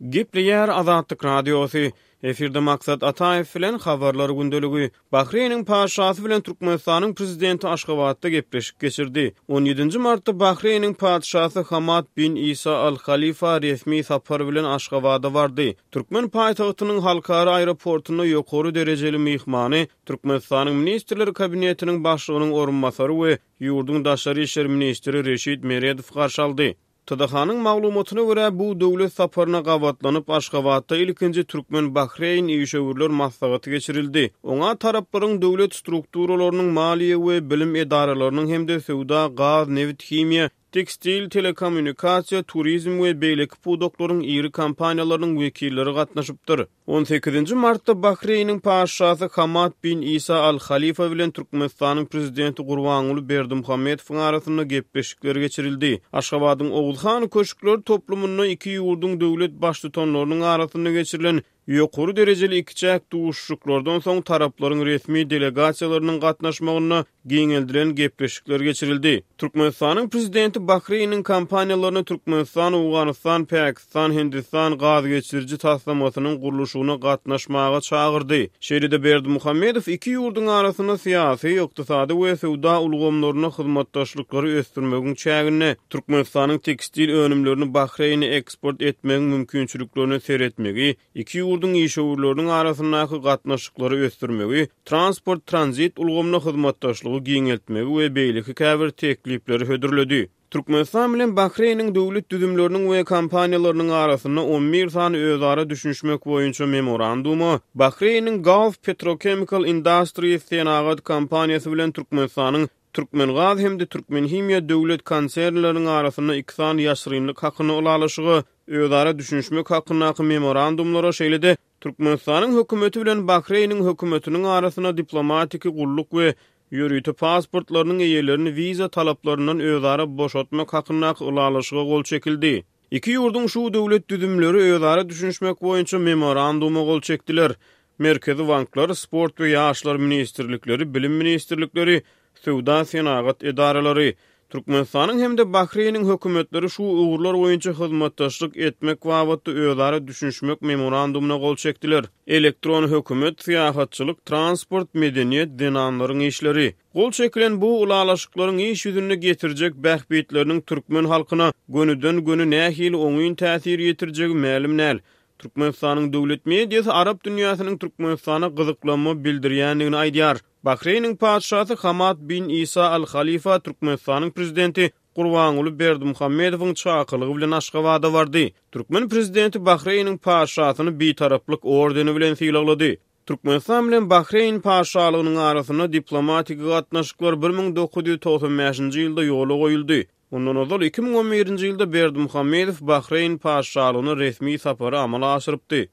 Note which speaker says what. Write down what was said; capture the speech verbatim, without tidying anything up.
Speaker 1: Gepleýär Azatlyk Radiosy. Efirde Maksat Ataýew bilen Habarlar gündeligi. Bahreýniň patyşasy bilen Türkmenistanyň prezidenti Aşgabatda gepleşik geçirdi. On ýedinji martda Bahreýniň patyşasy Hamad bin Isa Al Halifa resmi sapar bilen Aşgabada bardy. Türkmen paýtagtynyň halkara aeroportunda ýokary derejeli myhmany Türkmenistanyň Ministrler Kabinetiniň Başlygynyň orunbasary we ýurduň daşary işler ministri Reşit Meredow garşy aldy. T D H-nyň maglumatyna görä, bu döwlet saparyna gabatlanyp, Aşgabatda ilkinji türkmen-bahreýn işewürler maslahaty geçirildi. Oňa taraplaryň döwlet strukturalarynyň, maliýe we bilim edaralarynyň hem-de söwda, gaz, nebit, himiýa, tekstil, telekommunikasiýa, turizm we beýleki pudaklaryň iri kompaniýalarynyň wekilleri gatnaşypdyr. On sekizinji martda Bahreýniň patyşasy Hamad bin Isa Al Halifa bilen Türkmenistanyň prezidenti Gurbanguly Berdimuhamedowyň arasynda gepleşikler geçirildi. Aşgabadyň Oguzhan köşkler toplumynda iki ýurduň döwlet baştutanlarynyň arasynda geçirilen ýokary derejeli ikiçäk duşuşyklardan soň taraplaryň resmi delegasiýalarynyň gatnaşmagynda giňeldilen gepleşikler geçirildi. Türkmenistanyň prezidenti Bahreýniň kompaniýalaryny Türkmenistan, Owganystan, Pakistan, Hindistan gaz geçiriji taslamasynyň gurluşygyna gatnaşmaga çagyrdy. Şeýle-de Berdimuhamedow iki ýurduň arasynda syýasy, ykdysady we söwda ulgamlarynda hyzmatdaşlyklary ösdürmegiň çäginde Türkmenistanyň tekstil önümlerini Bahreýne eksport etmegiň mümkinçiliklerine seretmegi, iki ýurduň işewürleriniň arasyndaky gatnaşyklary ösdürmegi, transport-tranzit ulgamynda hyzmatdaşlygy giňeltmegi we beýleki käbir teklipleri hödürledi. Türkmenistan bilen Bahreýniň döwlet düzümleriniň we kompaniýalarynyň arasynda on bir sany özara düşünişmek boýunça memoranduma, Bahreýniň Gulf Petrochemical Industries senagat kompaniýasy bilen Türkmenistanyň Türkmengaz hem-de Türkmenhimiýa döwlet konsernleriniň arasynda iki sany ýaşyrynlyk hakynda ylalaşyga, özara düşünişmek hakyndaky memorandumlara, şeýle-de Türkmenistanyň hökümeti bilen Bahreýniň hökümetiniň arasynda diplomatiki gulluk we ýörite pasportlarynyň eýelerini wiza talaplaryndan özara boşatmak hakyndaky ylalaşyga gol çekildi. Iki ýurduň şu döwlet düzümleri özara düşünişmek boýunça memoranduma gol çekdiler. Merkezi banklar, sport we ýaşlar ministrlikleri, bilim ministrlikleri, söwda-senagat edaralary, Türkmenistanyň hem-de Bahreýniň hökümetleri şu ugurlar boýunça hyzmatdaşlyk etmek babatda özara düşünişmek memorandumyna gol çekdiler. Elektron hökümet, syýahatçylyk, transport, medeniýet, zenanlaryň işleri. Gol çekilen bu ylalaşyklaryň iş ýüzünde getirjek bähbitleriniň türkmen halkyna gönüden-göni nähili oňyn täsir ýetirjegi mälim däl. Türkmenistanyň döwlet mediasy arap dünýäsiniň Türkmenistana gyzyklanma bildirýändigini aýdýar. Bahreýniň patyşasy Hamad bin Isa Al Halifa Türkmenistanyň prezidenti Gurbanguly Berdimuhamedowyň çakylygy bilen Aşgabada bardy. Türkmen prezidenti Bahreýniň patyşasyny Bitaraplyk ordeni bilen sylaglady. Türkmenistan bilen Bahreýn patyşalygynyň arasynda diplomatik gatnaşyklar bir müň dokuz ýüz togsan bäşinji ýylda ýola goýuldy. Ondan ozal iki müň on birinji ýylda Berdimuhamedow Bahreýn patyşalygyna resmi sapary amala aşyrypdy.